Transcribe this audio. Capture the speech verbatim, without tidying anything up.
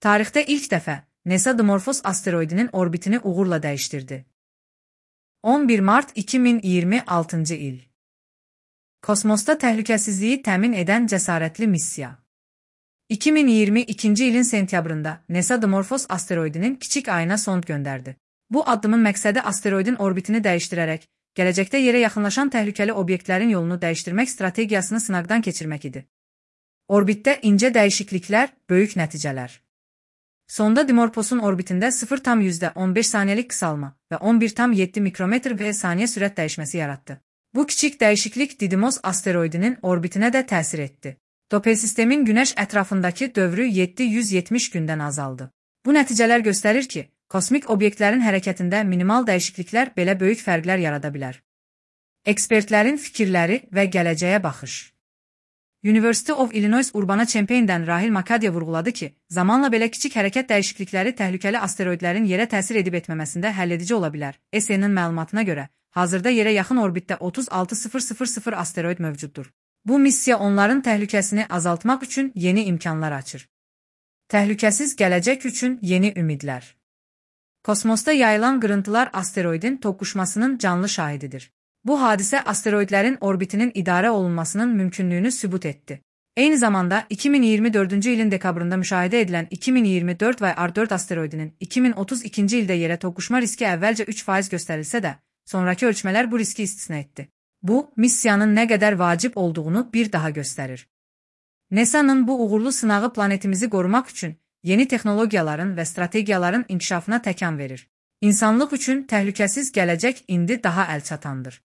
Tarixdə ilk dəfə NASA Dimorphos asteroidinin orbitini uğurla dəyişdirdi. on bir mart iki min iyirmi altıncı il. Kosmosda təhlükəsizliyi təmin edən cəsarətli missiya. iki min iyirmi ikinci ilin sentyabrında NASA Dimorphos asteroidinin kiçik ayına sond göndərdi. Bu addımın məqsədi asteroidin orbitini dəyişdirərək, gələcəkdə yerə yaxınlaşan təhlükəli obyektlərin yolunu dəyişdirmək strategiyasını sınaqdan keçirmək idi. Orbitdə incə dəyişikliklər, böyük nəticələr. Sonda Dimorphos'un orbitində sıfır nöqtə on beş saniyəlik qısalma və on bir nöqtə yeddi mikrometr və saniyə sürət dəyişməsi yaratdı. Bu kiçik dəyişiklik Didymos asteroidinin orbitinə də təsir etdi. Doppel sistemin Günəş ətrafındakı dövrü yeddi yüz yetmiş gündən azaldı. Bu nəticələr göstərir ki, kosmik obyektlərin hərəkətində minimal dəyişikliklər belə böyük fərqlər yarada bilər. Ekspertlərin fikirləri və gələcəyə baxış. University of Illinois Urbana-Champaign'dən Rahil Makadya vurğuladı ki, zamanla belə kiçik hərəkət dəyişiklikləri təhlükəli asteroidlərin yerə təsir edib etməməsində həlledici ola bilər. S N-nin məlumatına görə, hazırda yerə yaxın orbitdə otuz altı min asteroid mövcuddur. Bu missiya onların təhlükəsini azaltmaq üçün yeni imkanlar açır. Təhlükəsiz gələcək üçün yeni ümidlər. Kosmosda yayılan qırıntılar asteroidin toqquşmasının canlı şahididir. Bu hadisə asteroidlərin orbitinin idarə olunmasının mümkünlüyünü sübut etdi. Eyni zamanda iki min iyirmi dördüncü ilin dekabrında müşahidə edilən iki min iyirmi dörd və R dörd asteroidinin iki min otuz ikinci ildə yerə toqquşma riski əvvəlcə üç faiz göstərilsə də, sonrakı ölçmələr bu riski istisna etdi. Bu, missiyanın nə qədər vacib olduğunu bir daha göstərir. NASA'nın bu uğurlu sınağı planetimizi qorumaq üçün yeni texnologiyaların və strategiyaların inkişafına təkan verir. İnsanlıq üçün təhlükəsiz gələcək indi daha əlçatandır.